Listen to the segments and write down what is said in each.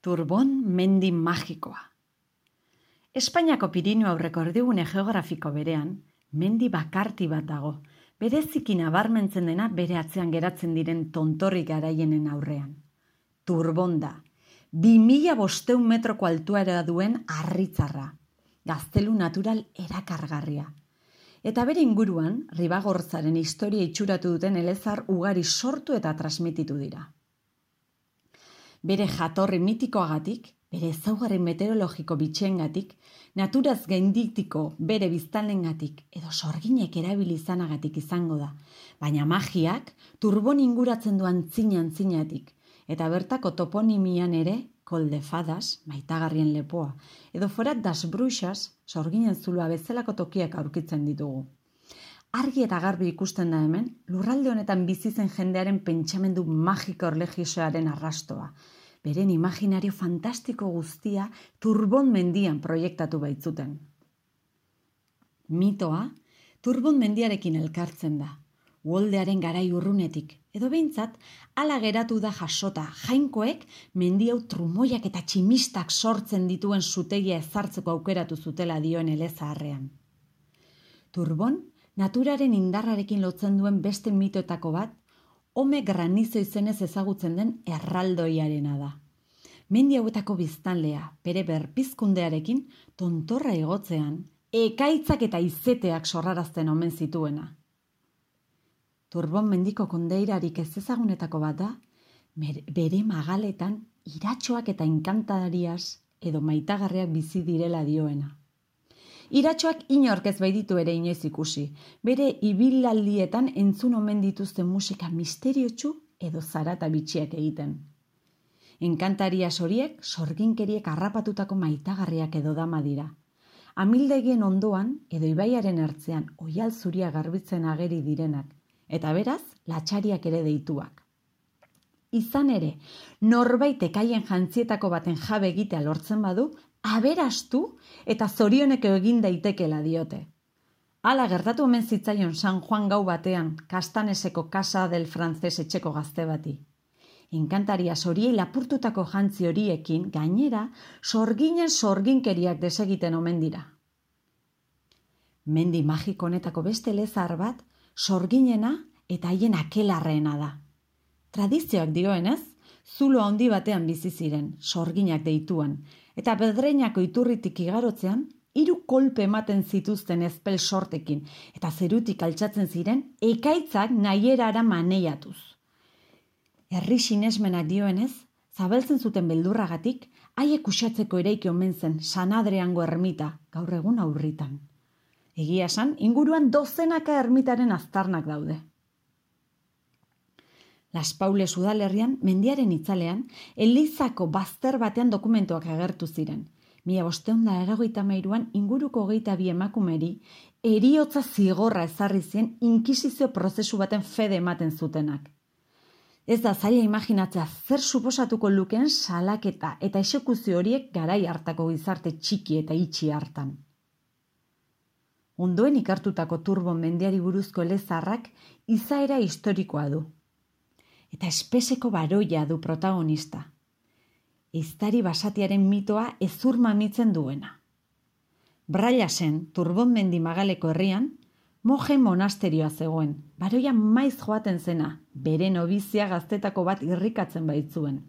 Turbon mendi magikoa. Espainiako Pirinio aurreko erdigune geografiko berean, mendi bakarti bat dago, bereziki nabarmentzen dena bere atzean geratzen diren tontorri garaienen aurrean. Turbon da, 2500 metroko altuera duen harritzarra, gaztelu natural erakargarria. Eta bere inguruan, Ribagorzaren historia itxuratu duten elezar ugari sortu eta transmititu dira. Bere jatorri mitikoagatik, bere ezaugarri meteorologiko bitxengatik, naturaz gainditiko bere biztanlengatik edo sorginek erabili izanagatik izango da, baina magiak Turbon inguratzen du antzinatik, eta bertako toponimian ere Col de Fadas, maitagarrien lepoa, edo Forat das Bruixas, sorginen zulua bezalako tokiak aurkitzen ditugu. Argi eta garbi ikusten da hemen, lurralde honetan bizi zen jendearen pentsamendu magiko erlijiosoaren arrastoa. Beren imaginario fantastiko guztia Turbon mendian proiektatu baitzuten. Mitoa, Turbon mendiarekin elkartzen da, uholdearen garai urrunetik, edo behintzat, hala geratu da jasota, jainkoek mendi hau trumoiak eta tximistak sortzen dituen zutegia ezartzeko aukeratu zutela dioen elezaharrean. Turbon, naturaren indarrarekin lotzen duen beste mitoetako bat, Ome granizo izenez ezagutzen den erraldoiarena da. Mendi hauetako biztanlea, bere berpizkundearekin, tontorra igotzean, ekaitzak eta izeteak sorrarazten omen zituena. Turbon mendiko kondeirarik ez ezagunetako bat da, bere magaletan iratxoak eta inkantariaz edo maitagarriak bizi direla dioena. Iratxoak inork ez baititu ere inoiz ikusi, bere ibilaldietan entzun omen dituzten musika misteriotsu edo zarata bitxiak egiten. Enkantariaz horiek sorginkeriek harrapatutako maitagarriak edo dama dira. Amildegien ondoan edo ibaiaren ertzean oihal zuria garbitzen ageri direnak, eta beraz latxariak ere deituak. Izan ere, norbaitek haien jantzietako baten jabe egitea lortzen badu, aberastu eta zorioneko egin daitekela diote. Hala gertatu omen zitzaion San Juan gau batean, Kastaneseko Casa del Frances etxeko gazte bati. Enkantaria horiei lapurtutako jantzi horiekin, gainera, sorginen sorginkeriak desegiten omen dira. Mendi magiko honetako beste elezahar bat, sorginena eta haien akelarreena da. Tradizioak dioenez, zulo handi batean bizi ziren, sorginak deituan, eta Bedreinako iturritik igarotzean, 3 kolpe ematen zituzten ezpel sortekin, eta zerutik altxatzen ziren, ekaitzak nahierara maneiatuz. Herri sinesmenak dioenez, zabeltzen zuten beldurragatik, haiek uxatzeko eraiki omen zen San Adriango ermita, gaur egun aurritan. Egia esan, inguruan dozenaka ermitaren aztarnak daude. Las Paules udalerrian, mendiaren itzalean, Elizako bazter batean dokumentuak agertu ziren. 1583an inguruko 22 emakumeri heriotza zigorra ezarri zien inkisizio prozesu baten fede ematen zutenak. Ez da zaila imaginatzea zer suposatuko lukeen salaketa eta exekuzio horiek garai hartako gizarte txiki eta itxi hartan. Ondoen ikartutako Turbon mendiari buruzko elezaharrak izaera historikoa du. Eta espeseko baroia du protagonista. Ehiztari basatiaren mitoa hezur mamitzen duena. Brailasen, Turbon mendi magaleko herrian, moje monasterioa zegoen, baroia maiz joaten zena, bere nobizia gaztetako bat irrikatzen baitzuen.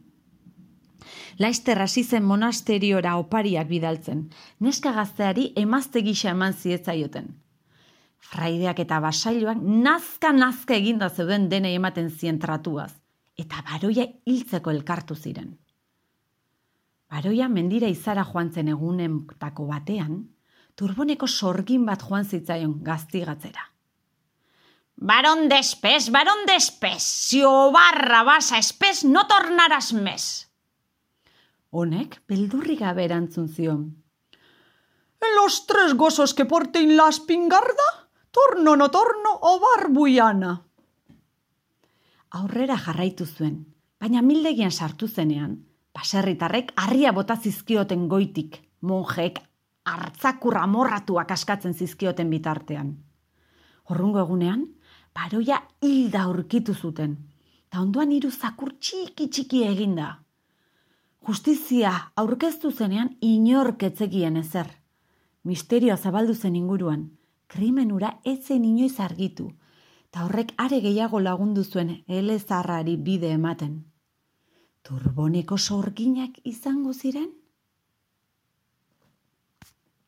Laizter hasi zen monasteriora opariak bidaltzen, neska gazteari emazte gisa eman zietzaioten. Fraideak eta basailoak nazka eginda zeuden denei ematen zien tratuaz, eta baroia hiltzeko elkartu ziren. Baroia mendira izara joan zen egunetako batean, Turboneko sorgin bat joan zitzaion gaztigatzera. Baron despes, si o barra basa espes, no tornarás mes. Honek beldurri gabe erantzun zion. En los 3 gozos que porten la espingarda, torno no torno o barbuiana. Aurrera jarraitu zuen, baina amildegian sartu zenean, baserritarrek harria bota zizkioten goitik, monjeek hartzakur amorratuak askatzen zizkioten bitartean. Horrungo egunean, baroia hilda aurkitu zuten, eta ondoan 3 zakur txiki eginda. Justizia aurkeztu zenean inork ez zekien ezer. Misterioa zabaldu zen inguruan, krimenura ez zen inoiz argitu, eta horrek are gehiago lagundu zuen elezarrari bide ematen. Turboneko sorginak izango ziren?